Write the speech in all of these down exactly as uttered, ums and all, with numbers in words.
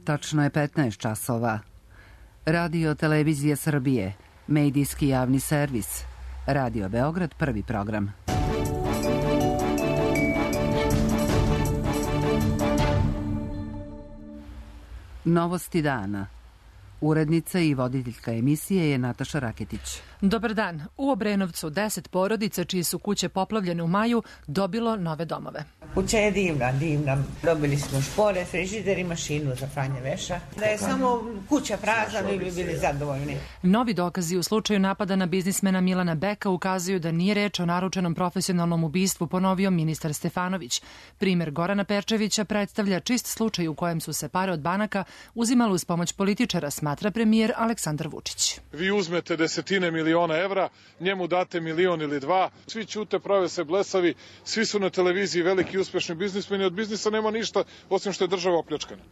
Tačno je petnaest časova. Radio Televizija Srbije, medijski javni servis. Radio Beograd, prvi program. Novosti dana. Urednica i voditeljka emisije je Nataša Raketić. Dobar dan. U Obrenovcu deset porodica čije su kuće poplavljene u maju dobilo nove domove. Kuća je divna, divna. Dobili smo špore, frižider i mašinu za pranje veša. Da je samo kuća prazna, mi bi bili zadovoljni. Novi dokazi u slučaju napada na biznismena Milana Beka ukazuju da nije reč o naručenom profesionalnom ubistvu, ponovio ministar Stefanović. Primer Gorana Perčevića predstavlja čist slučaj u kojem su se pare od banaka uzimale uz pomoć političara, smatra premijer Aleksandar Vučić. Vi uzmete desetine miliona evra, njemu date milion ili dva, svi ćute, prave se blesavi, svi su na televiziji veliki uspešni biznismeni, od biznisa nema ništa osim što je država opljačkana.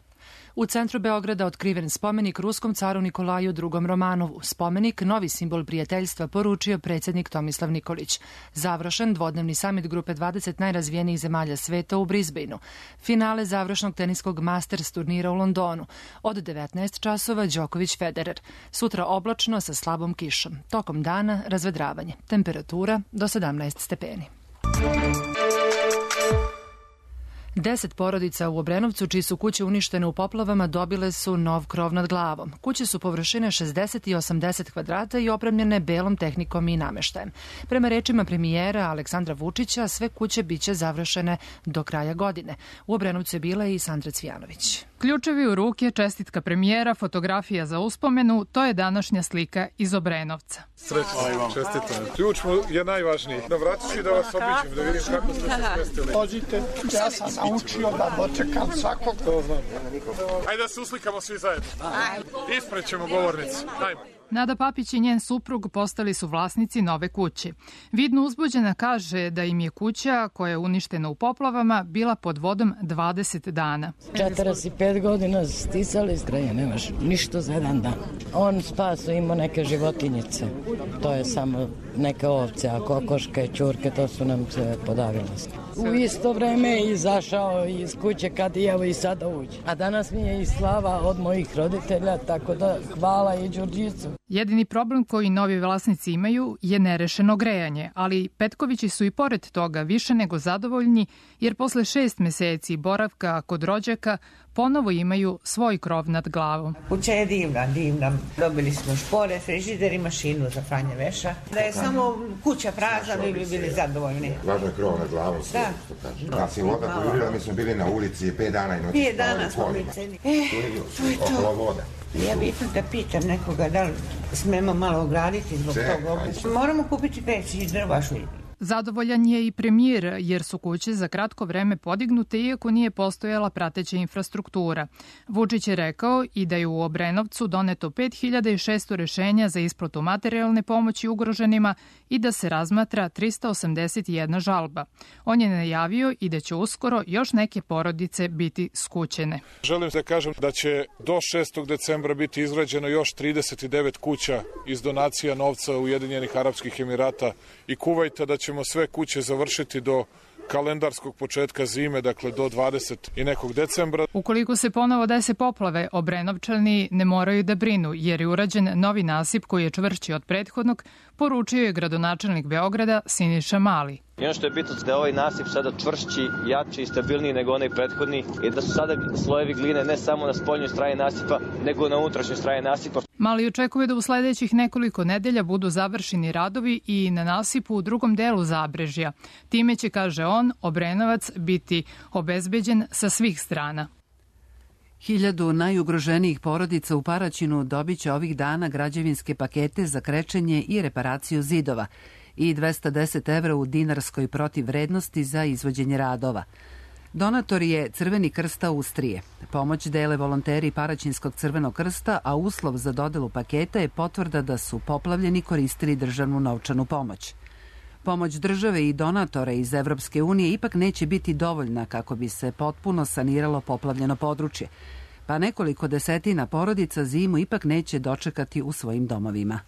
U centru Beograda otkriven spomenik ruskom caru Nikolaju drugom Romanovu. Spomenik, novi simbol prijateljstva, poručio predsjednik Tomislav Nikolić. Završen dvodnevni samit grupe dvadeset najrazvijenijih zemalja sveta u Brisbaneu. Finale završnog teniskog Masters turnira u Londonu. Od devetnaest časova Đoković Federer. Sutra oblačno sa slabom kišom. Tokom dana razvedravanje. Temperatura do sedamnaest stepeni. Deset porodica u Obrenovcu, čiji su kuće uništene u poplavama, dobile su nov krov nad glavom. Kuće su površine šezdeset i osamdeset kvadrata i opremljene belom tehnikom i nameštajem. Prema rečima premijera Aleksandra Vučića, sve kuće biće završene do kraja godine. U Obrenovcu je bila i Sandra Cvijanović. Ključevi u ruke, čestitka premijera, fotografija za uspomenu, to je današnja slika iz Obrenovca. Srećno, čestitam. Ključ je najvažniji. Da vraćaš i da vas obiđem, da vidim kako ste se smestili. Dođite, ja sam naučio da dočekam svakog. To znam. Ajde da se uslikamo svi zajedno. Ispred ćemo govornicu. Ajmo. Nada Papić i njen suprug postali su vlasnici nove kuće. Vidno uzbuđena kaže da im je kuća, koja je uništena u poplavama, bila pod vodom dvadeset dana. četrdeset pet godina stisali straje, nemaš ništa za jedan dan. On spaso imao neke životinjice. To je samo neke ovce, a kokoške, ćurke, to su nam se podavile. U isto vreme je izašao iz kuće kad i evo i sada uđe. A danas mi je i slava od mojih roditelja, tako da hvala i Đurđicu. Jedini problem koji novi vlasnici imaju je nerešeno grejanje, ali Petkovići su i pored toga više nego zadovoljni, jer posle šest meseci boravka kod rođaka ponovo imaju svoj krov nad glavom. Kuća je divna, divna. Dobili smo špore, frižider i mašinu za pranje veša. Da je samo kuća prazna, mi bi bili zadovoljni. Važno je krov nad glavom, sve što kaže. Kad si voda pojurila, mi smo bili na ulici pet dana i noći. Pet dana smo uliceni. E, to je to. Ja bih ipak da pitam nekoga da li smemo malo ograditi zbog toga. Moramo kupiti peć i drva šulj. Zadovoljan je i premijer, jer su kuće za kratko vreme podignute iako nije postojala prateća infrastruktura. Vučić je rekao i da je u Obrenovcu doneto pet hiljada šesto rešenja za isplatu materijalne pomoći ugroženima i da se razmatra trista osamdeset jedna žalba. On je najavio i da će uskoro još neke porodice biti skućene. Želim da kažem da će do šestog decembra biti izgrađeno još trideset devet kuća iz donacija novca Ujedinjenih Arapskih Emirata i Kuvajta, da će ćemo sve kuće završiti do kalendarskog početka zime, dakle do dvadesetog i nekog decembra. Ukoliko se ponovo dese poplave, Obrenovčani ne moraju da brinu, jer je urađen novi nasip koji je čvršći od prethodnog, poručio je gradonačelnik Beograda Siniša Mali. I ono što je bitno da je ovaj nasip sada čvršći, jači i stabilniji nego onaj prethodni i da su sada slojevi gline ne samo na spoljnoj strani nasipa, nego na unutrašnjoj strani nasipa. Mali očekuje da u sledećih nekoliko nedelja budu završeni radovi i na nasipu u drugom delu Zabrežja. Time će, kaže on, Obrenovac biti obezbeđen sa svih strana. Hiljadu najugroženijih porodica u Paraćinu dobiće ovih dana građevinske pakete za krečenje i reparaciju zidova i dvesta deset evra u dinarskoj protivvrednosti za izvođenje radova. Donator je Crveni krst Austrije. Pomoć dele volonteri Paraćinskog Crvenog krsta, a uslov za dodelu paketa je potvrda da su poplavljeni koristili državnu novčanu pomoć. Pomoć države i donatora iz Evropske unije ipak neće biti dovoljna kako bi se potpuno saniralo poplavljeno područje, pa nekoliko desetina porodica zimu ipak neće dočekati u svojim domovima.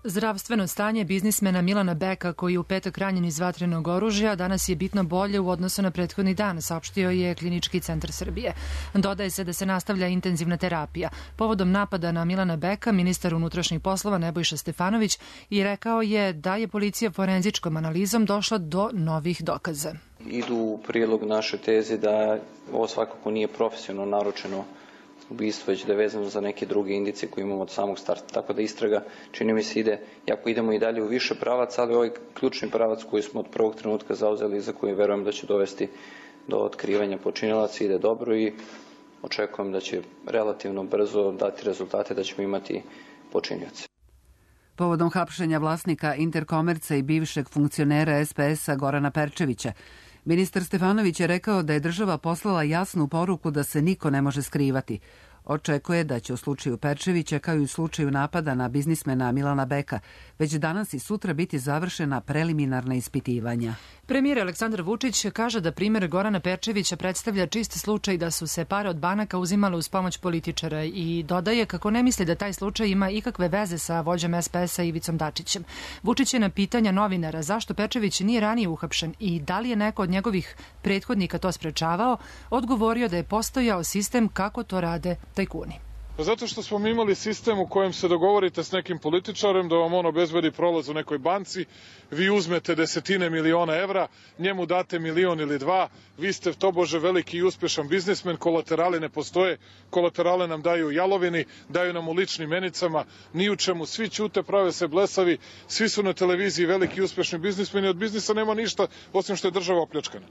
Zdravstveno stanje biznismena Milana Beka, koji je u petak ranjen iz vatrenog oružja, danas je bitno bolje u odnosu na prethodni dan, saopštio je Klinički centar Srbije. Dodaje se da se nastavlja intenzivna terapija. Povodom napada na Milana Beka, ministar unutrašnjih poslova Nebojša Stefanović i rekao je da je policija forenzičkom analizom došla do novih dokaza. Idu u prilog naše teze da ovo svakako nije profesionalno naručeno ubistvo, već da je vezano za neke druge indicije koje imamo od samog starta. Tako da istraga, čini mi se, ide, jako idemo i dalje u više pravaca, ali ovaj ključni pravac koji smo od prvog trenutka zauzeli, za koji verujem da će dovesti do otkrivanja počinilaca, ide dobro i očekujem da će relativno brzo dati rezultate, da ćemo imati počinioce. Povodom hapšenja vlasnika Interkomerca i bivšeg funkcionera es pe es-a Gorana Perčevića, ministar Stefanović je rekao da je država poslala jasnu poruku da se niko ne može skrivati. Očekuje da će u slučaju Perčevića, kao i u slučaju napada na biznismena Milana Beka, već danas i sutra biti završena preliminarna ispitivanja. Premijer Aleksandar Vučić kaže da primjer Gorana Perčevića predstavlja čist slučaj da su se pare od banaka uzimale uz pomoć političara i dodaje kako ne misli da taj slučaj ima ikakve veze sa vođom es pe es-a Ivicom Dačićem. Vučić je na pitanja novinara zašto Perčević nije ranije uhapšen i da li je neko od njegovih prethodnika to sprečavao, odgovorio da je postojao sistem kako to rade tajkuni. Zato što smo mi imali sistem u kojem se dogovorite s nekim političarem da vam on obezbedi prolaz u nekoj banci, vi uzmete desetine miliona evra, njemu date milion ili dva, vi ste tobože veliki i uspešan biznismen, kolaterali ne postoje, kolaterale nam daju jalovini, daju nam u ličnim menicama, ni u čemu, svi ćute, prave se blesavi, svi su na televiziji veliki i uspešni biznismeni, od biznisa nema ništa osim što je država opljačkana.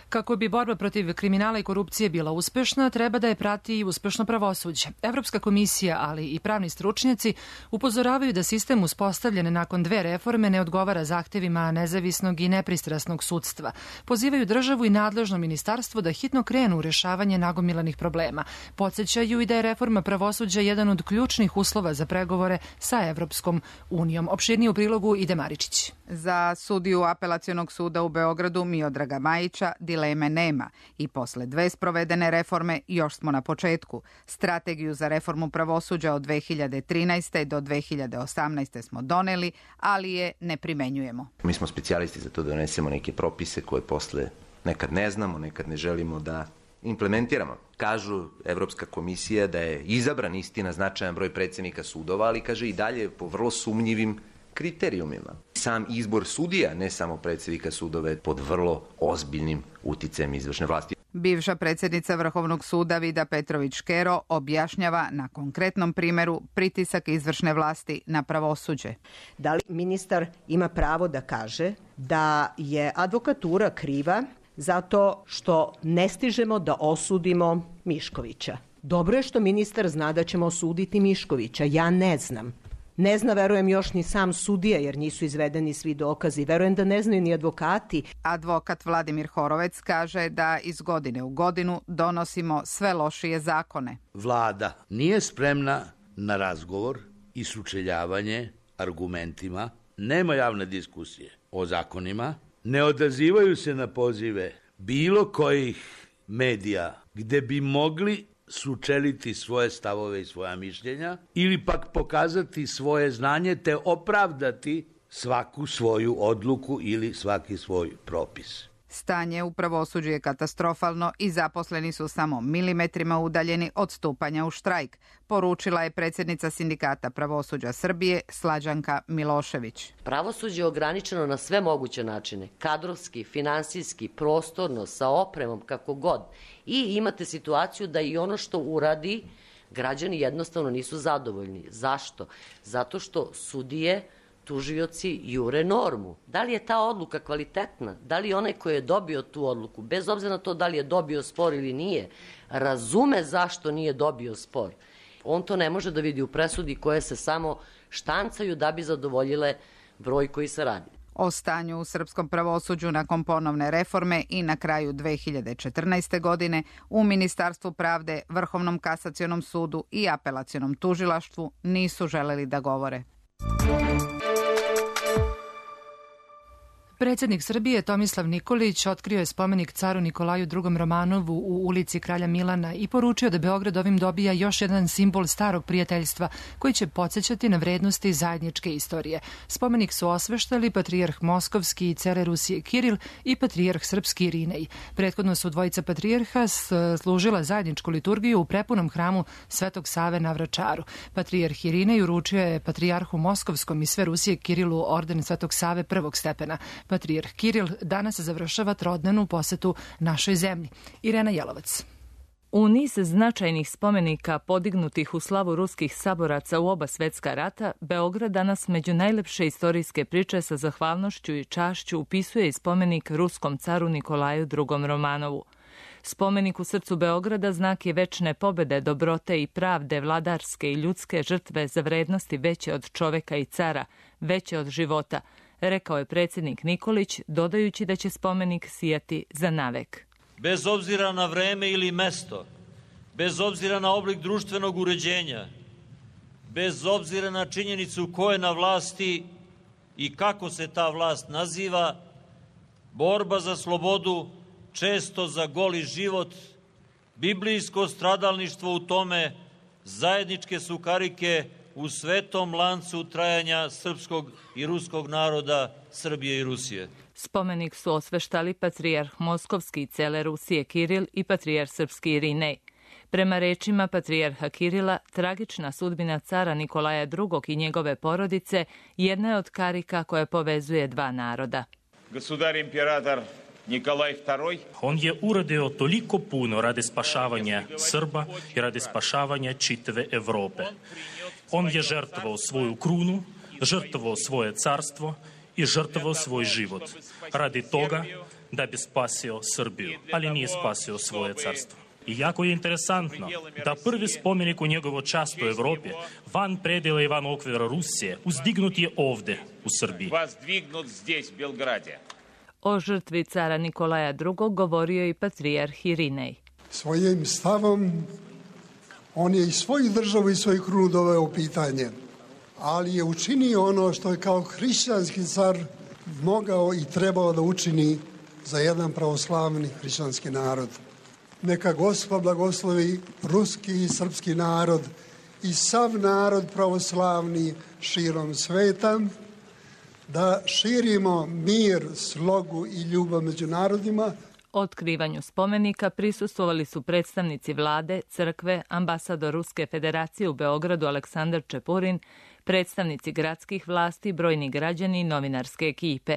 Kako bi borba protiv kriminala i korupcije bila uspešna, treba da je prati i uspešno pravosuđe. Evropska komisija, ali i pravni stručnjaci upozoravaju da sistem uspostavljen nakon dve reforme ne odgovara zahtevima nezavisnog i nepristrasnog sudstva. Pozivaju državu i nadležno ministarstvo da hitno krenu u rešavanje nagomilanih problema. Podsećaju i da je reforma pravosuđa jedan od ključnih uslova za pregovore sa Evropskom unijom. Opširnije u prilogu ide Maričić. Za sudiju Apelacionog suda u Beogradu Miodraga Majića dileme nema i posle dve sprovedene reforme još smo na početku. Strategiju za reformu pravosuđa od dve hiljade trinaeste do dve hiljade osamnaeste smo doneli, ali je ne primenjujemo. Mi smo specijalisti za to da donesemo neke propise koje posle nekad ne znamo, nekad ne želimo da implementiramo. Kažu Evropska komisija da je izabran istina značajan broj predsednika sudova, ali kaže i dalje po vrlo sumnjivim kriterijumima. Sam izbor sudija, ne samo predsednika sudova, pod vrlo ozbiljnim uticajem izvršne vlasti. Bivša predsjednica Vrhovnog suda Vida Petrović Škero objašnjava na konkretnom primjeru pritisak izvršne vlasti na pravosuđe. Da li ministar ima pravo da kaže da je advokatura kriva zato što ne stižemo da osudimo Miškovića? Dobro je što ministar zna da ćemo osuditi Miškovića, ja ne znam. Ne zna, verujem, još ni sam sudija, jer nisu izvedeni svi dokazi. Verujem da ne znaju ni advokati. Advokat Vladimir Horovec kaže da iz godine u godinu donosimo sve lošije zakone. Vlada nije spremna na razgovor i sučeljavanje argumentima, nema javne diskusije o zakonima, ne odazivaju se na pozive bilo kojih medija gde bi mogli sučeliti svoje stavove i svoja mišljenja ili pak pokazati svoje znanje te opravdati svaku svoju odluku ili svaki svoj propis. Stanje u pravosuđu je katastrofalno i zaposleni su samo milimetrima udaljeni od stupanja u štrajk, poručila je predsjednica Sindikata pravosuđa Srbije Slađanka Milošević. Pravosuđe je ograničeno na sve moguće načine, kadrovski, finansijski, prostorno, sa opremom, kako god. I imate situaciju da i ono što uradi, građani jednostavno nisu zadovoljni. Zašto? Zato što sudije, tužioci jure normu. Da li je ta odluka kvalitetna? Da li onaj koji je dobio tu odluku, bez obzira na to da li je dobio spor ili nije, razume zašto nije dobio spor? On to ne može da vidi u presudi koje se samo štancaju da bi zadovoljile broj koji se radi. O stanju u srpskom pravosuđu nakon ponovne reforme i na kraju dve hiljade četrnaeste. godine u Ministarstvu pravde, Vrhovnom kasacionom sudu i Apelacionom tužilaštvu nisu želeli da govore. Predsjednik Srbije Tomislav Nikolić otkrio je spomenik caru Nikolaju drugom Romanovu u ulici Kralja Milana i poručio da Beograd ovim dobija još jedan simbol starog prijateljstva koji će podsjećati na vrednosti zajedničke istorije. Spomenik su osveštali patrijarh Moskovski i cele Rusije Kiril i patrijarh Srpski Irinej. Prethodno su dvojica patrijarha služila zajedničku liturgiju u prepunom hramu Svetog Save na Vračaru. Patrijarh Irinej uručio je patrijarhu Moskovskom i sve Rusije Kirilu orden Svetog Save prvog stepena. Patrijarh Kiril danas završava trodnevnu posetu našoj zemlji. Irena Jelovac. U niz značajnih spomenika podignutih u slavu ruskih saboraca u oba svetska rata, Beograd danas među najlepše istorijske priče sa zahvalnošću i čašću upisuje i spomenik ruskom caru Nikolaju drugom Romanovu. Spomenik u srcu Beograda znak je večne pobede, dobrote i pravde, vladarske i ljudske žrtve za vrednosti veće od čoveka i cara, veće od života, rekao je predsjednik Nikolić, dodajući da će spomenik sijati za navek. Bez obzira na vreme ili mesto, bez obzira na oblik društvenog uređenja, bez obzira na činjenicu ko je na vlasti i kako se ta vlast naziva, borba za slobodu, često za goli život, biblijsko stradalništvo u tome, zajedničke su karike u svetom lancu trajanja srpskog i ruskog naroda, Srbije i Rusije. Spomenik su osveštali patrijarh Moskovski i cele Rusije Kiril i patrijarh Srpski Irinej. Prema rečima patrijarha Kirila, tragična sudbina cara Nikolaja drugog i njegove porodice jedna je od karika koja povezuje dva naroda. Gosudar imperator Nikolaj drugi. On je uradio toliko puno radi spašavanja Srba i radi spašavanja čitave Evrope. On je žrtvovao svoju krunu, žrtvovao svoje carstvo i žrtvovao svoj život radi toga da bi spasio Srbiju, ali nije spasio svoje carstvo. I jako je interesantno da prvi spomenik u njegovo čast u Evropi, van predela i van okvira Rusije, uzdignut je ovde u Srbiji. Воздвигнут здесь, в Белграде. O žrtvi cara Nikolaja drugog govorio i patrijarh Irinej. Svojim stavom on je i svoju državu i svoju krunu doveo u pitanje, ali je učinio ono što je kao hrišćanski car mogao i trebao da učini za jedan pravoslavni hrišćanski narod. Neka Gospod blagoslovi ruski i srpski narod i sav narod pravoslavni širom sveta, da širimo mir, slogu i ljubav među narodima. Otkrivanju spomenika prisustvovali su predstavnici vlade, crkve, ambasador Ruske federacije u Beogradu Aleksandar Čepurin, predstavnici gradskih vlasti, brojni građani i novinarske ekipe.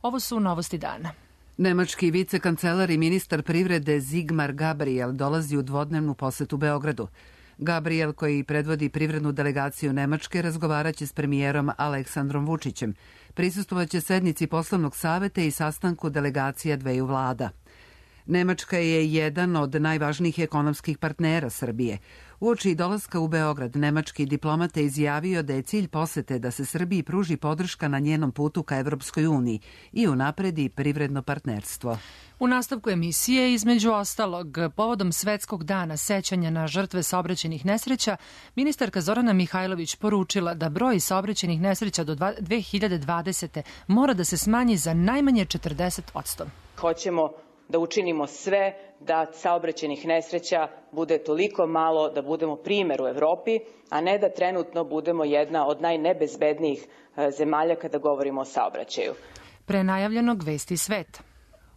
Ovo su novosti dana. Nemački vicekancelar i ministar privrede Sigmar Gabriel dolazi u dvodnevnu posetu Beogradu. Gabriel, koji predvodi privrednu delegaciju Nemačke, razgovaraće s premijerom Aleksandrom Vučićem. Prisustvovaće sednici poslovnog saveta i sastanku delegacija dveju vlada. Nemačka je jedan od najvažnijih ekonomskih partnera Srbije. Uoči dolaska u Beograd, nemački diplomat je izjavio da je cilj posete da se Srbiji pruži podrška na njenom putu ka Evropskoj uniji i unapredi privredno partnerstvo. U nastavku emisije, između ostalog, povodom Svetskog dana sećanja na žrtve saobraćajnih nesreća, ministarka Zorana Mihajlović poručila da broj saobraćajnih nesreća do dve hiljade dvadesete. mora da se smanji za najmanje četrdeset posto. Hoćemo da učinimo sve da saobraćajnih nesreća bude toliko malo da budemo primer u Evropi, a ne da trenutno budemo jedna od najnebezbednijih zemalja kada govorimo o saobraćaju. Pre najavljenog Vesti sveta.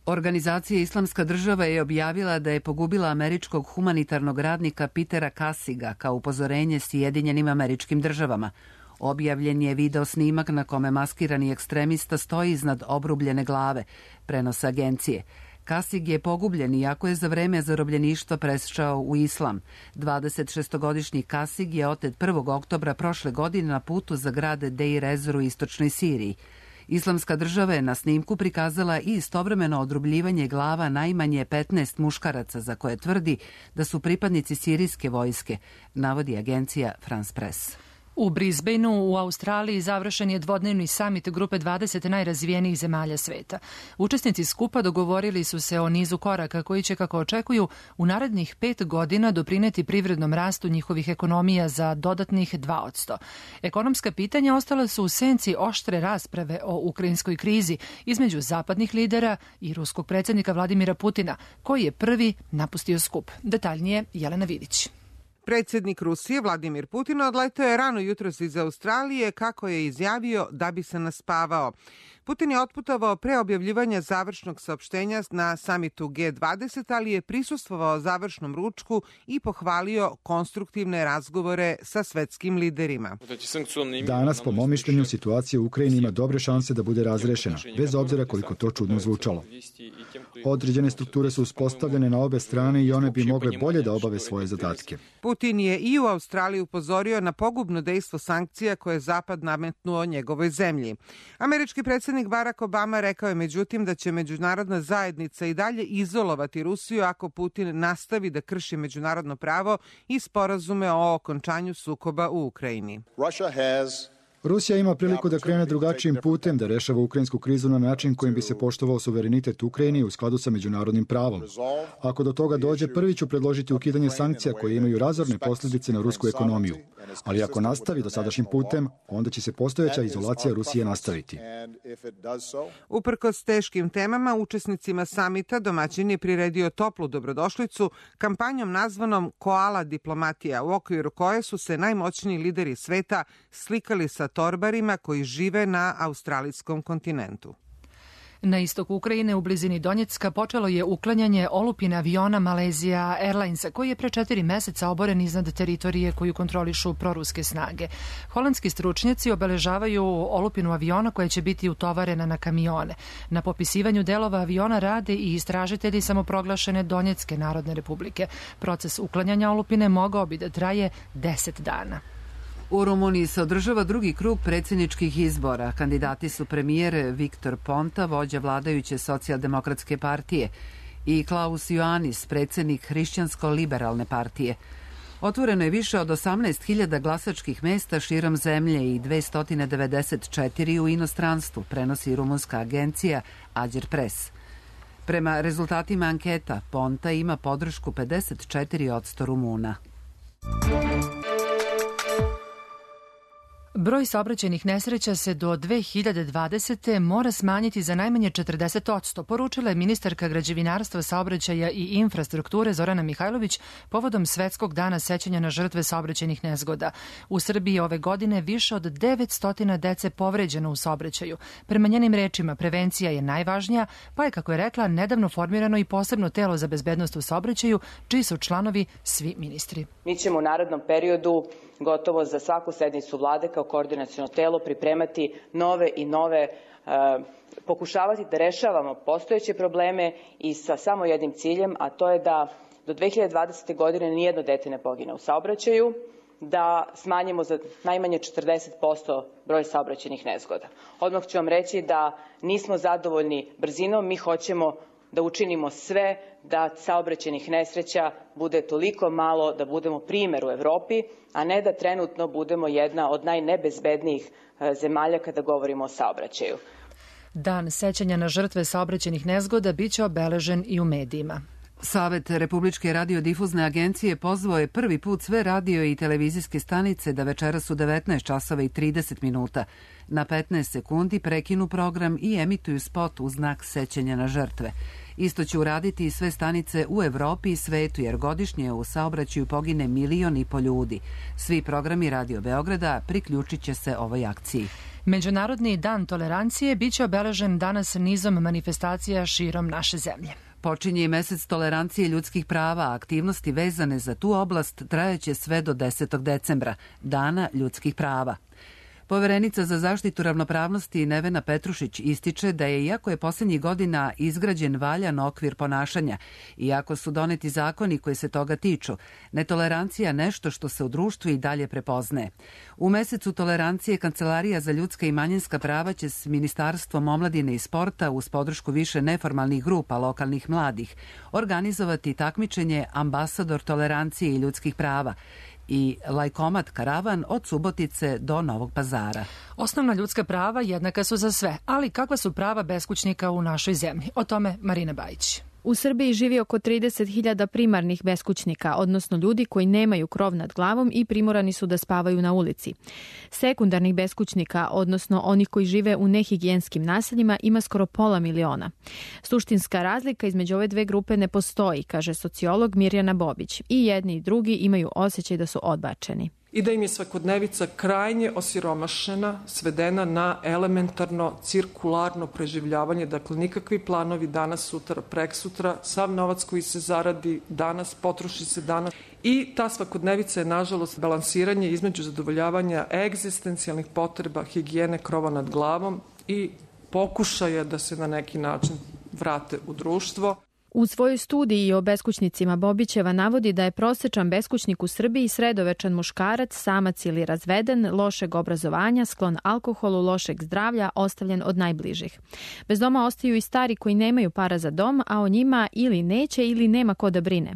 Organizacija Islamska država je objavila da je pogubila američkog humanitarnog radnika Petera Kasiga kao upozorenje Sjedinjenim Američkim Državama. Objavljen je video snimak na kome maskirani ekstremista stoji iznad obrubljene glave, prenosa agencije. Kasig je pogubljen iako je za vreme zarobljeništva presčao u islam. dvadesetšestogodišnji Kasig je otet prvog oktobra prošle godine na putu za grad Deir Ezzor u istočnoj Siriji. Islamska država je na snimku prikazala i istovremeno odrubljivanje glava najmanje petnaest muškaraca za koje tvrdi da su pripadnici sirijske vojske, navodi agencija France Press. U Brisbaneu u Australiji završen je dvodnevni samit grupe dvadeset najrazvijenijih zemalja sveta. Učesnici skupa dogovorili su se o nizu koraka koji će, kako očekuju, u narednih pet godina doprineti privrednom rastu njihovih ekonomija za dodatnih dva posto. Ekonomska pitanja ostala su u senci oštre rasprave o ukrajinskoj krizi između zapadnih lidera i ruskog predsjednika Vladimira Putina, koji je prvi napustio skup. Detaljnije Jelena Vidić. Predsjednik Rusije Vladimir Putin odletao je rano jutros iz Australije, kako je izjavio, da bi se naspavao. Putin je otputovao pre objavljivanja završnog saopštenja na samitu G dvadeset, ali je prisustvovao završnom ručku i pohvalio konstruktivne razgovore sa svetskim liderima. Danas, po mom mišljenju, situacija u Ukrajini ima dobre šanse da bude razrešena, bez obzira koliko to čudno zvučalo. Određene strukture su uspostavljene na obe strane i one bi mogle bolje da obave svoje zadatke. Putin je i u Australiji upozorio na pogubno dejstvo sankcija koje je Zapad nametnuo njegovoj zemlji. Američki predsjednik Barack Obama rekao je međutim da će međunarodna zajednica i dalje izolovati Rusiju ako Putin nastavi da krši međunarodno pravo i sporazume o okončanju sukoba u Ukrajini. Rusija ima priliku da krene drugačijim putem, da rešava ukrajinsku krizu na način kojim bi se poštovao suverenitet Ukrajine u skladu sa međunarodnim pravom. Ako do toga dođe, prvi ću predložiti ukidanje sankcija koje imaju razorne posljedice na rusku ekonomiju. Ali ako nastavi dosadašnjim putem, onda će se postojeća izolacija Rusije nastaviti. Uprkos teškim temama, učesnicima samita domaćin je priredio toplu dobrodošlicu kampanjom nazvanom Koala diplomatija, u okviru koje su se najmoćniji lideri sveta slikali sa torbarima koji žive na australijskom kontinentu. Na istoku Ukrajine u blizini Donjecka počelo je uklanjanje olupine aviona Malaysia Airlinesa, koji je pre četiri meseca oboren iznad teritorije koju kontrolišu proruske snage. Holandski stručnjaci obeležavaju olupinu aviona koja će biti utovarena na kamione. Na popisivanju delova aviona rade i istražitelji samoproglašene Donjecke Narodne Republike. Proces uklanjanja olupine mogao bi da traje deset dana. U Rumuniji se održava drugi krug predsjedničkih izbora. Kandidati su premijer Viktor Ponta, vođa vladajuće socijaldemokratske partije, i Klaus Ioannis, predsjednik hrišćansko-liberalne partije. Otvoreno je više od osamnaest hiljada glasačkih mesta širom zemlje i dvesta devedeset četiri u inostranstvu, prenosi rumunska agencija Ađer Pres. Prema rezultatima anketa, Ponta ima podršku pedeset četiri posto Rumuna. Broj saobraćajnih nesreća se do dve hiljade dvadesete. mora smanjiti za najmanje četrdeset posto, poručila je ministarka građevinarstva, saobraćaja i infrastrukture Zorana Mihajlović povodom Svetskog dana sećanja na žrtve saobraćajnih nezgoda. U Srbiji ove godine više od devetsto dece povređeno u saobraćaju. Prema njenim rečima, prevencija je najvažnija, pa je, kako je rekla, nedavno formirano i posebno telo za bezbednost u saobraćaju, čiji su članovi svi ministri. Mi ćemo u narednom periodu gotovo za svaku sednicu vlade kao koordinaciono telo pripremati nove i nove, e, pokušavati da rešavamo postojeće probleme i sa samo jednim ciljem, a to je da do dve hiljade dvadesete. godine nijedno dete ne pogine u saobraćaju, da smanjimo za najmanje četrdeset posto broj saobraćajnih nezgoda. Odmah ću vam reći da nismo zadovoljni brzinom, mi hoćemo da učinimo sve da saobraćajnih nesreća bude toliko malo da budemo primer u Evropi, a ne da trenutno budemo jedna od najnebezbednijih zemalja kada govorimo o saobraćaju. Dan sećanja na žrtve saobraćajnih nezgoda biće obeležen i u medijima. Savet Republičke radiodifuzne agencije pozvao je prvi put sve radio i televizijske stanice da večeras u devetnaest časova i trideset minuta na petnaest sekundi prekinu program i emituju spot u znak sećanja na žrtve. Isto će uraditi i sve stanice u Evropi i svetu, jer godišnje u saobraćaju pogine milion i po ljudi. Svi programi Radio Beograda priključit će se ovoj akciji. Međunarodni dan tolerancije biće obeležen danas nizom manifestacija širom naše zemlje. Počinje i mesec tolerancije ljudskih prava, aktivnosti vezane za tu oblast trajaće sve do desetog decembra, Dana ljudskih prava. Poverenica za zaštitu ravnopravnosti Nevena Petrušić ističe da je, iako je posljednjih godina izgrađen valjan okvir ponašanja, iako su doneti zakoni koji se toga tiču, netolerancija nešto što se u društvu i dalje prepoznaje. U mesecu tolerancije Kancelarija za ljudska i manjinska prava će s Ministarstvom omladine i sporta uz podršku više neformalnih grupa lokalnih mladih organizovati takmičenje Ambasador tolerancije i ljudskih prava. i lajkomat karavan od Subotice do Novog Pazara. Osnovna ljudska prava jednaka su za sve, ali kakva su prava beskućnika u našoj zemlji? O tome Marina Bajić. U Srbiji živi oko trideset hiljada primarnih beskućnika, odnosno ljudi koji nemaju krov nad glavom i primorani su da spavaju na ulici. Sekundarnih beskućnika, odnosno onih koji žive u nehigijenskim naseljima, ima skoro pola miliona. Suštinska razlika između ove dve grupe ne postoji, kaže sociolog Mirjana Bobić. I jedni i drugi imaju osjećaj da su odbačeni. I da im je svakodnevica krajnje osiromašena, svedena na elementarno cirkularno preživljavanje, dakle nikakvi planovi danas, sutra, preksutra, sav novac koji se zaradi danas, potroši se danas. I ta svakodnevica je, nažalost, balansiranje između zadovoljavanja egzistencijalnih potreba, higijene, krova nad glavom i pokušaja da se na neki način vrate u društvo. U svojoj studiji o beskućnicima Bobićeva navodi da je prosečan beskućnik u Srbiji sredovečan muškarac, samac ili razveden, lošeg obrazovanja, sklon alkoholu, lošeg zdravlja, ostavljen od najbližih. Bez doma ostaju i stari koji nemaju para za dom, a o njima ili neće ili nema ko da brine.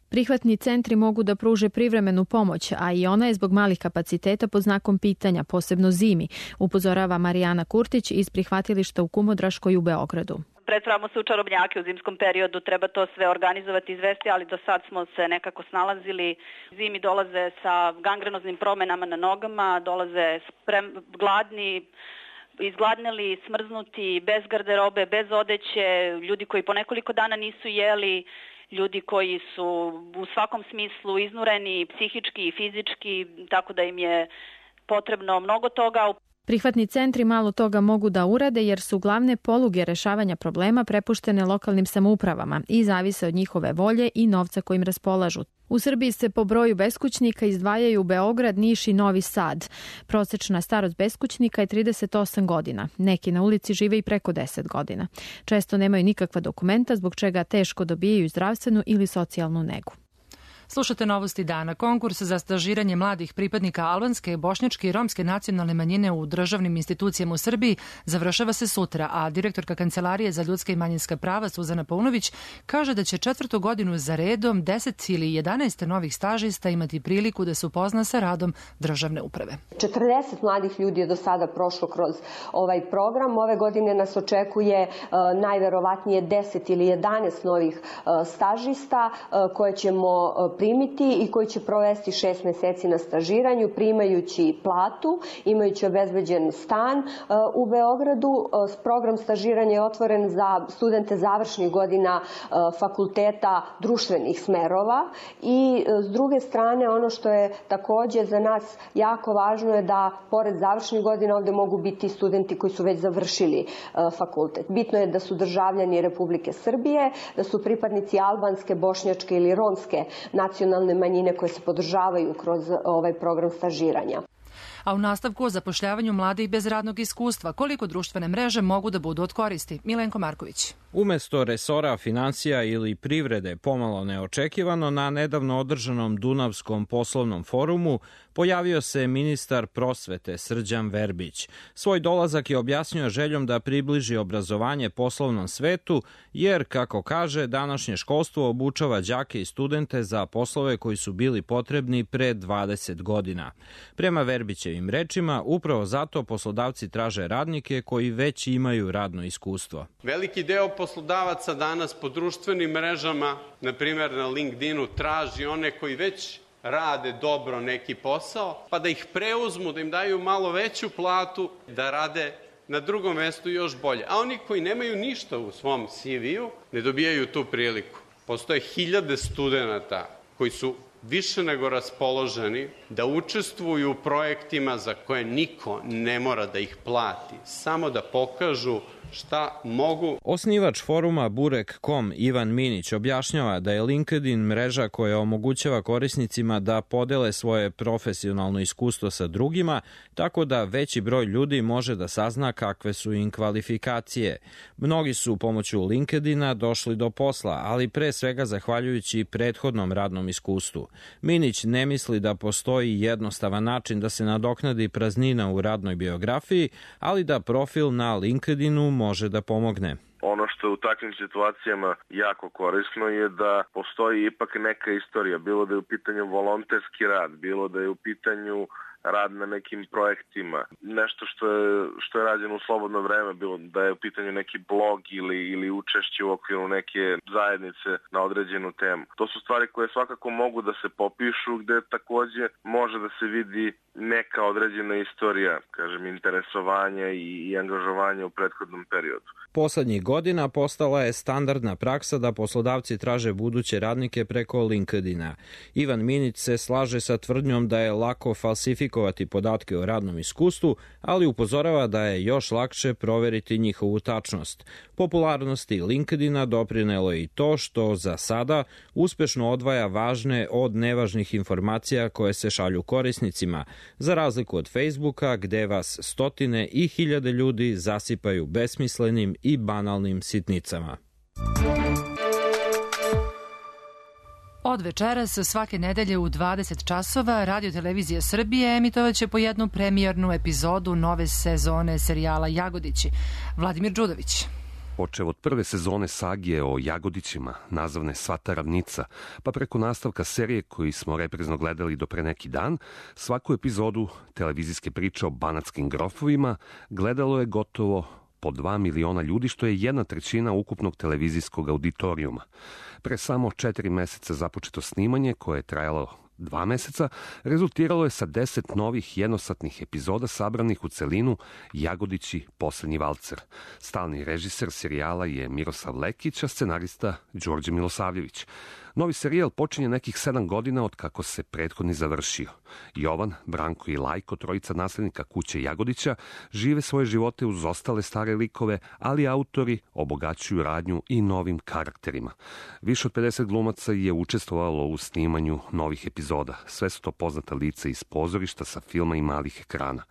Prihvatni centri mogu da pruže privremenu pomoć, a i ona je zbog malih kapaciteta pod znakom pitanja, posebno zimi, upozorava Marijana Kurtić iz prihvatilišta u Kumodraškoj u Beogradu. Pretvaramo se u čarobnjake u zimskom periodu, treba to sve organizovati i izvesti, ali do sad smo se nekako snalazili. Zimi dolaze sa gangrenoznim promenama na nogama, dolaze sprem, gladni, izgladneli, smrznuti, bez garderobe, bez odeće, ljudi koji po nekoliko dana nisu jeli, ljudi koji su u svakom smislu iznureni, psihički i fizički, tako da im je potrebno mnogo toga. Prihvatni centri malo toga mogu da urade jer su glavne poluge rešavanja problema prepuštene lokalnim samoupravama i zavise od njihove volje i novca kojim raspolažu. U Srbiji se po broju beskućnika izdvajaju Beograd, Niš i Novi Sad. Prosečna starost beskućnika je trideset osam godina. Neki na ulici žive i preko deset godina. Često nemaju nikakva dokumenta zbog čega teško dobijaju zdravstvenu ili socijalnu negu. Slušate Novosti dana. Konkurs za stažiranje mladih pripadnika albanske, bošnjačke i romske nacionalne manjine u državnim institucijama u Srbiji završava se sutra, a direktorka Kancelarije za ljudska i manjinska prava Suzana Paunović kaže da će četvrtu godinu za redom deset ili jedanaest novih stažista imati priliku da se upozna sa radom državne uprave. četrdeset mladih ljudi je do sada prošlo kroz ovaj program. Ove godine nas očekuje uh, najverovatnije deset ili jedanaest novih uh, stažista uh, koje ćemo uh, primiti i koji će provesti šest meseci na stažiranju, primajući platu, imajući obezbeđen stan uh, u Beogradu. Uh, program stažiranja je otvoren za studente završnih godina uh, fakulteta društvenih smerova i uh, s druge strane ono što je takođe za nas jako važno je da pored završnih godina ovde mogu biti studenti koji su već završili uh, fakultet. Bitno je da su državljani Republike Srbije, da su pripadnici albanske, bošnjačke ili romske nacionalne manjine koje se podržavaju kroz ovaj program stažiranja. A u nastavku o zapošljavanju mladih bez radnog iskustva, koliko društvene mreže mogu da budu od koristi? Milenko Marković. Umesto resora financija ili privrede, pomalo neočekivano, na nedavno održanom Dunavskom poslovnom forumu pojavio se ministar prosvete Srđan Verbić. Svoj dolazak je objasnio željom da približi obrazovanje poslovnom svetu, jer, kako kaže, današnje školstvo obučava đake i studente za poslove koji su bili potrebni pre dvadeset godina. Prema Verbićevim rečima, upravo zato poslodavci traže radnike koji već imaju radno iskustvo. Veliki deo poslodavaca danas po društvenim mrežama, na primjer na LinkedInu, traži one koji već rade dobro neki posao, pa da ih preuzmu, da im daju malo veću platu, da rade na drugom mestu još bolje. A oni koji nemaju ništa u svom C V-u ne dobijaju tu priliku. Postoje hiljade studenta koji su više nego raspoloženi da učestvuju u projektima za koje niko ne mora da ih plati, samo da pokažu šta mogu. Osnivač foruma Burek tačka com Ivan Minić objašnjava da je LinkedIn mreža koja omogućava korisnicima da podele svoje profesionalno iskustvo sa drugima, tako da veći broj ljudi može da sazna kakve su im kvalifikacije. Mnogi su pomoću LinkedIna došli do posla, ali pre svega zahvaljujući prethodnom radnom iskustvu. Minić ne misli da postoji jednostavan način da se nadoknadi praznina u radnoj biografiji, ali da profil na LinkedInu može da pomogne. Ono što što u takvim situacijama jako korisno je da postoji ipak neka istorija, bilo da je u pitanju volonterski rad, bilo da je u pitanju rad na nekim projektima, nešto što je, što je rađeno u slobodno vreme, bilo da je u pitanju neki blog ili, ili učešće u okviru neke zajednice na određenu temu. To su stvari koje svakako mogu da se popišu, gde takođe može da se vidi neka određena istorija, kažem, interesovanja i, i angažovanja u prethodnom periodu. Poslednjih godina postala je standardna praksa da poslodavci traže buduće radnike preko LinkedIna. Ivan Minić se slaže sa tvrdnjom da je lako falsifikovati podatke o radnom iskustvu, ali upozorava da je još lakše proveriti njihovu tačnost. Popularnosti LinkedIna doprinelo je i to što za sada uspešno odvaja važne od nevažnih informacija koje se šalju korisnicima, za razliku od Facebooka gde vas stotine i hiljade ljudi zasipaju besmislenim i banalnim sitnicama. Od večeras svake nedelje u dvadeset časova Radio Televizija Srbije emitovaće po jednu premijernu epizodu nove sezone serijala Jagodići. Vladimir Đudović. Počev od prve sezone sagije o Jagodićima, nazvane Svata ravnica, pa preko nastavka serije koji smo reprezno gledali do pre neki dan, svaku epizodu televizijske priče o banatskim grofovima gledalo je gotovo po dva miliona ljudi, što je jedna trećina ukupnog televizijskog auditorijuma. Pre samo četiri meseca započeto snimanje, koje je trajalo dva meseca, rezultiralo je sa deset novih jednosatnih epizoda sabranih u celinu Jagodići poslednji valcer. Stalni režiser serijala je Miroslav Lekić, a scenarista Đorđe Milosavljević. Novi serijal počinje nekih sedam godina od kako se prethodni završio. Jovan, Branko i Lajko, trojica naslednika kuće Jagodića, žive svoje živote uz ostale stare likove, ali autori obogaćuju radnju i novim karakterima. Više od pedeset glumaca je učestvovalo u snimanju novih epizoda. Sve su to poznata lica iz pozorišta, sa filma i malih ekrana.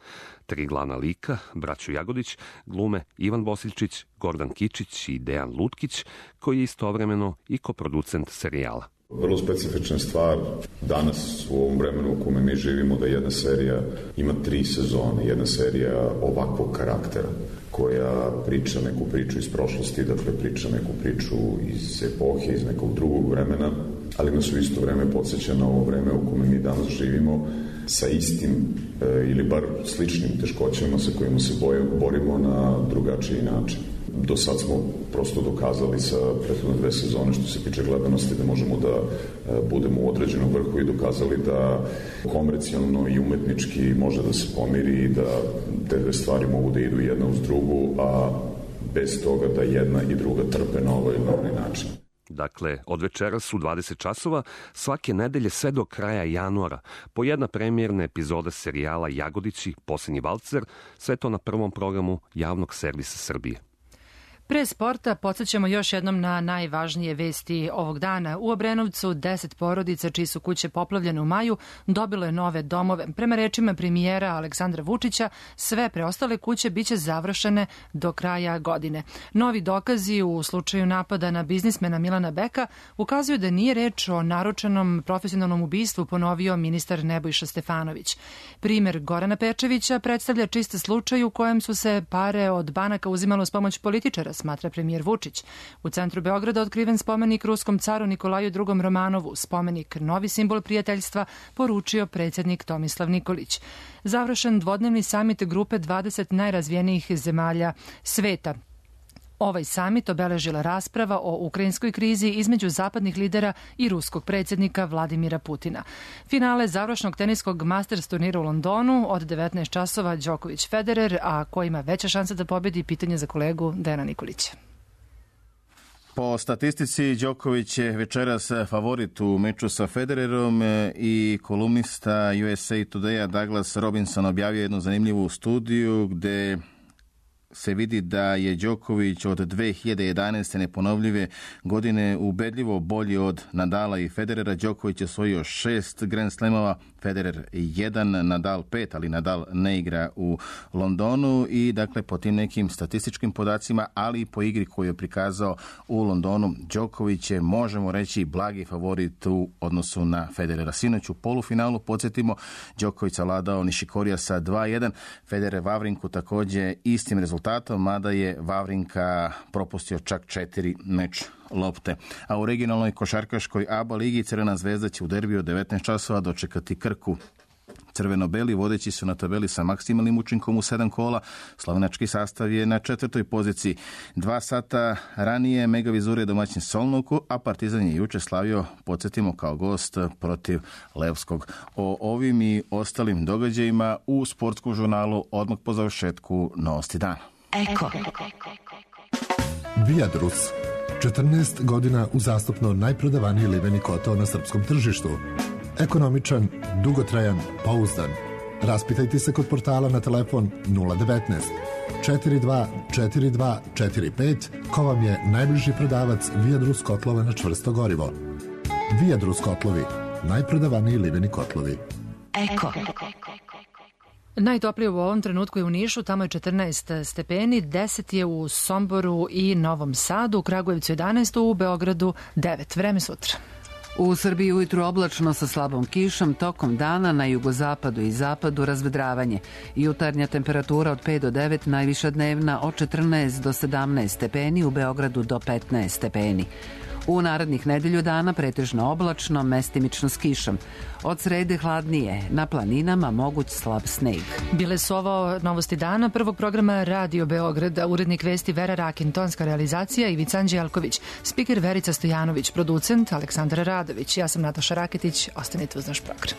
Tri glavna lika, braću Jagodić, glume Ivan Bosiljčić, Gordan Kičić i Dejan Lutkić, koji je istovremeno i koproducent serijala. Vrlo specifična stvar danas u ovom vremenu u kome mi živimo, da jedna serija ima tri sezone, jedna serija ovakvog karaktera koja priča neku priču iz prošlosti, dakle priča neku priču iz epohe, iz nekog drugog vremena, ali nas u isto vreme podsjeća na ovo vreme u kome mi danas živimo sa istim e, ili bar sličnim teškoćama sa kojima se boje, borimo na drugačiji način. Do sad smo prosto dokazali sa prethodne dve sezone što se tiče gledanosti da možemo da e, budemo u određenom vrhu i dokazali da komercijalno i umetnički može da se pomiri i da te dve stvari mogu da idu jedna uz drugu, a bez toga da jedna i druga trpe na ovaj ili na onaj način. Dakle, od večeras u dvadeset časova, svake nedelje sve do kraja januara, po jedna premijerna epizoda serijala Jagodići, poslednji valcer, sve to na prvom programu Javnog servisa Srbije. Pre sporta podsjećamo još jednom na najvažnije vesti ovog dana. U Obrenovcu deset porodica čiji su kuće poplavljene u maju dobilo je nove domove. Prema rečima premijera Aleksandra Vučića, sve preostale kuće biće završene do kraja godine. Novi dokazi u slučaju napada na biznismena Milana Beka ukazuju da nije reč o naručenom profesionalnom ubistvu, ponovio ministar Nebojša Stefanović. Primer Gorana Pečevića predstavlja čist slučaj u kojem su se pare od banaka uzimalo s pomoć političara, smatra premijer Vučić. U centru Beograda otkriven spomenik ruskom caru Nikolaju drugom Romanovu, spomenik novi simbol prijateljstva, poručio predsjednik Tomislav Nikolić. Završen dvodnevni samit grupe dvadeset najrazvijenijih zemalja sveta. Ovaj samit obeležila rasprava o ukrajinskoj krizi između zapadnih lidera i ruskog predsjednika Vladimira Putina. Finale završnog teniskog Masters turnira u Londonu od devetnaest časova Đoković Federer, a ko ima veća šansa da pobedi, pitanje za kolegu Dejana Nikolića. Po statistici, Đoković je večeras favorit u meču sa Federerom i kolumnista U S A Today-a Douglas Robinson objavio jednu zanimljivu studiju gde se vidi da je Đoković od dve hiljade jedanaeste neponovljive godine ubedljivo bolji od Nadala i Federera. Đoković je osvojio šest Grand Slamova, Federer jedan, Nadal pet, ali Nadal ne igra u Londonu i dakle po tim nekim statističkim podacima, ali i po igri koju je prikazao u Londonu, Đoković je, možemo reći, blagi favorit u odnosu na Federera. Sinoć u polufinalu, podsjetimo, Đoković savladao Nišikorija sa dva jedan, Federer Vavrinku također istim rezultatom, mada je Vavrinka propustio čak četiri meč lopte. A u regionalnoj košarkaškoj A B A ligi Crvena zvezda će u derbiju od devetnaest časova dočekati Krku. Crveno-beli vodeći su na tabeli sa maksimalnim učinkom u sedam kola. Slovenački sastav je na četvrtoj poziciji. Dva sata ranije Mega Vizur je domaćin Solnuku, a Partizan je juče slavio, podsjetimo, kao gost protiv Levskog. O ovim i ostalim događajima u sportskom žurnalu odmah po završetku Novosti dana. Eko. Viadrus. četrnaest godina uzastopno najprodavaniji liveni kotao na srpskom tržištu. Ekonomičan, dugotrajan, pouzdan. Raspitajte se kod portala na telefon nula devetnaest četiri dva četiri dva četiri pet ko vam je najbliži prodavac Viadrus kotlova na čvrsto gorivo. Viadrus kotlovi, najprodavaniji liveni kotlovi. Eko. Najtoplije u ovom trenutku je u Nišu, tamo je četrnaest stepeni, deset je u Somboru i Novom Sadu, u Kragujevcu jedanaest, u Beogradu devet. Vreme sutra. U Srbiji ujutru oblačno sa slabom kišom, tokom dana na jugozapadu i zapadu razvedravanje. Jutarnja temperatura od pet do devet, najviša dnevna od četrnaest do sedamnaest stepeni, u Beogradu do petnaest stepeni. U narednih nedelju dana pretežno oblačno, mestimično s kišom. Od srede hladnije, na planinama moguć slab sneg. Bile su ovo Novosti dana prvog programa Radio Beograda, urednik vesti Vera Rakin, tonska realizacija Ivica Anđelković, spiker Verica Stojanović, producent Aleksandar Radović. Ja sam Nataša Raketić, ostanite uz naš program.